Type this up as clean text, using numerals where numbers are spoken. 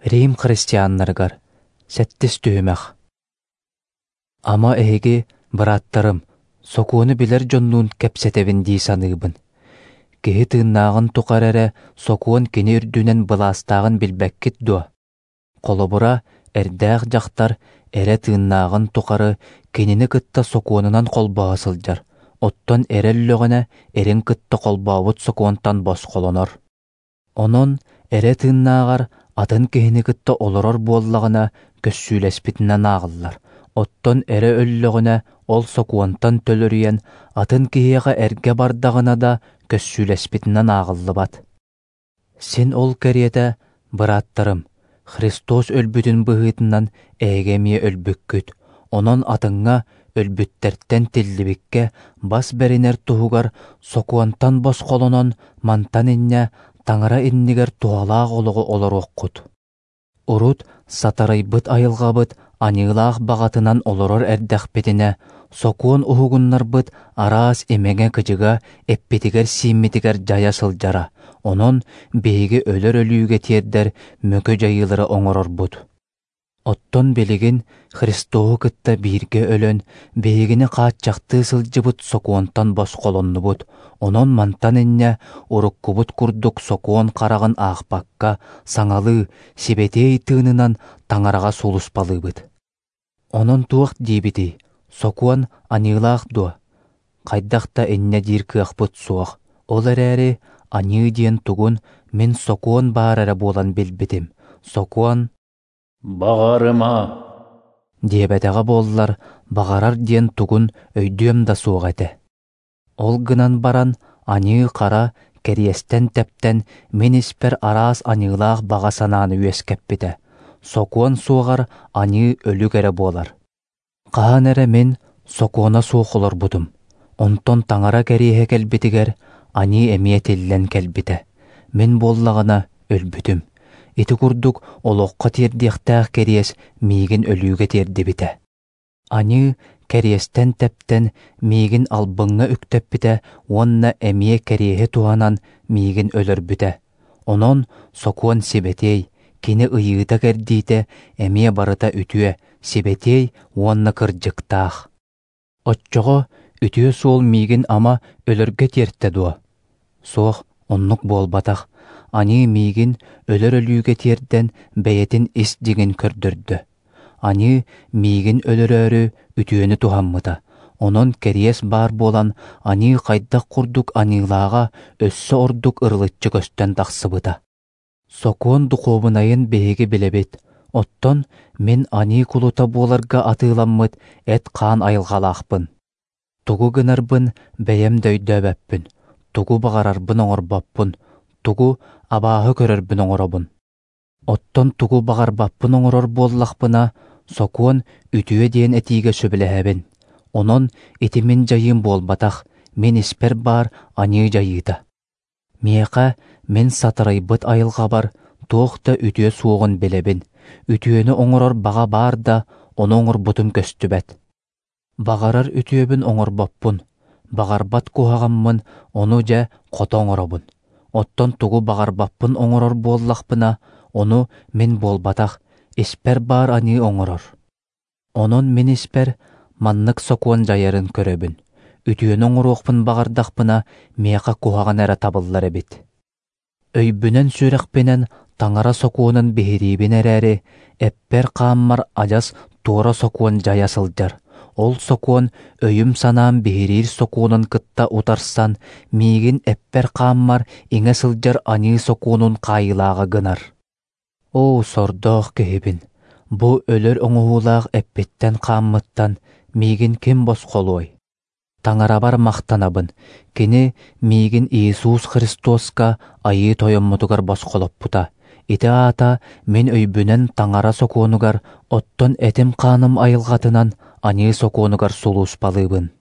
Рим христианнарыгар Сэттис түһүмэх. Ама эһиги, бырааттарым, сокуону билэр дьоннуун кэпсэтэбин дии саныыбын. Киһи тыыннааҕын тухары эрэ сокуон кини үрдүнэн былаастааҕын билбэккит дуо? Холобура, эрдээх дьахтар эрэ тыыннааҕын тухары кинини кытта сокуонунан холбоһо сылдьар, оттон эрэ өллөҕүнэ эрин кытта холбообут сокуонтан босхолонор. Онон эрэ тыыннааҕар атын киһини кытта олорор буоллаҕына көссүүлэспитинэн ааҕыллар, оттон эрэ өллөҕүнэ ол сокуонтан төлөрүйэн атын киһиэхэ эргэ бардаҕына да көссүүлэспитинэн ааҕыллыбат. Син ол кэриэтэ, бырааттарым, Христос өлбүтүн быһыытынан эһиги эмиэ өлбүккүт, онон атыҥҥа өлбүттэртэн тиллибиккэ бас бэринэр туһугар сокуонтан босхолонон мантан инньэ Таҥара иннигэр туһалаах олоҕу олоруоххут. Урут сатарыйбыт айылҕабыт аньыылаах баҕатынан олорор эрдэхпитинэ, сокуон уһугуннарбыт араас имэҥэ-кыдьыга эппитигэр-сииммитигэр дьайа сылдьара, онон биһиги өлөр өлүүгэ тиэрдэр мөкү дьайыылары оҥорорбут. Оттон билигин Христоһу кытта бииргэ өлөн, биһигини хааччахтыы сылдьыбыт сокуонтан босхолоннубут, онон мантан инньэ уруккубут курдук сокуон хараҕын аахпакка, саҥалыы, сибэтиэй тыынынан Таҥараҕа сулууспалыыбыт. Онон туох диибитий? Сокуон аньыылаах дуо? Хайдах да инньэ диир кыахпыт суох. Ол эрээри аньыы диэн тугун мин сокуон баар эрэ буолан билбитим. Сокуон «Баҕарыма» диэбэтэҕэ буоллар, баҕарар диэн тугун өйдүөм да суох этэ. Ол гынан баран аньыы-хара кэриэстэн тэптэн мин испэр араас аньыылаах баҕа санааны үөскэппитэ. Сокуон суоҕар аньыы өлүк эрэ буолар. Хаһан эрэ мин сокуона суох олорбутум, онтон Таҥара кэриэһэ кэлбитигэр аньыы эмиэ тиллэн кэлбитэ. Мин буоллаҕына өлбүтүм. Ити курдук олоххо тиэрдиэхтээх кэриэс миигин өлүүгэ тиэрдибитэ. Аньыы кэриэстэн тэптэн миигин албыҥҥа үктэппитэ уонна эмиэ кэриэһи туһанан миигин өлөрбүтэ. Онон сокуон сибэтиэй, кини ыйыыта-кэрдиитэ эмиэ барыта үтүө, сибэтиэй уонна кырдьыктаах. Оччоҕо үтүө суол миигин ама өлөргө тиэртэ дуо? Суох, оннук буолбатах. Аньыы миигин өлөр өлүүгэ тиэрдэн бэйэтин ис дьиҥин көрдөрдө. Аньыы миигин өлөрөөрү үтүөнү туһаммыта. Онон кэриэс баар буолан аньыы хайдах курдук аньыылааҕа өссө ордук ырылыччы көстөн тахсыбыта. Сокуон духуобунайын биһиги билэбит, оттон мин аньыы кулута буоларга атыыламмыт эт-хаан айылҕалаахпын. Тугу гынарбын бэйэм да өйдөөбөппүн, тугу баҕарарбын оҥорбоппун, тугу абааһы көрөрбүн оҥоробун. Оттон тугу баҕарбаппын оҥорор буоллахпына, сокуон үтүө диэн этиигэ сөбүлэһэбин. Онон ити мин дьайыым буолбатах, мин испэр баар аньыы дьайыыта. Миэхэ мин сатарыйбыт айылҕабар туох да үтүө суоҕун билэбин. Үтүөнү оҥорор баҕа баар да, ону оҥорбутум көстүбэт. Баҕарар үтүөбүн оҥорбоппун, баҕарбат куһаҕаммын ону дьэ хото оҥоробун. Оттон тугу баҕарбаппын оҥорор буоллахпына, ону мин буолбатах, испэр баар аньыы оҥорор. Онон мин испэр маннык сокуон дьайарын көрөбүн. Үтүөнү оҥоруохпун баҕардахпына, миэхэ куһаҕан эрэ табыллар эбит. Өйбүнэн-сүрэхпинэн Таҥара сокуонун биһириибин эрээри, эппэр-хааммар адьас туора сокуон дьайа сылдьар. Ол сокуон өйүм-санаам биһириир сокуонун кытта утарсан, миигин эппэр-хааммар иҥэ сылдьар аньыы сокуонун хаайыылааҕа гынар. Оо, сордоох киһибин, бу өлөр оҥоһуулаах эппиттэн-хааммыттан миигин ким босхолуой? Таҥарабар махтанабын, кини миигин Иисус Христоска Айыы Тойоммутугар босхолоппута. Ити аата мин өйбүнэн Таҥара сокуонугар, оттон этим-хааным айылҕатынан аньыы сокуонугар сулууспалыыбын.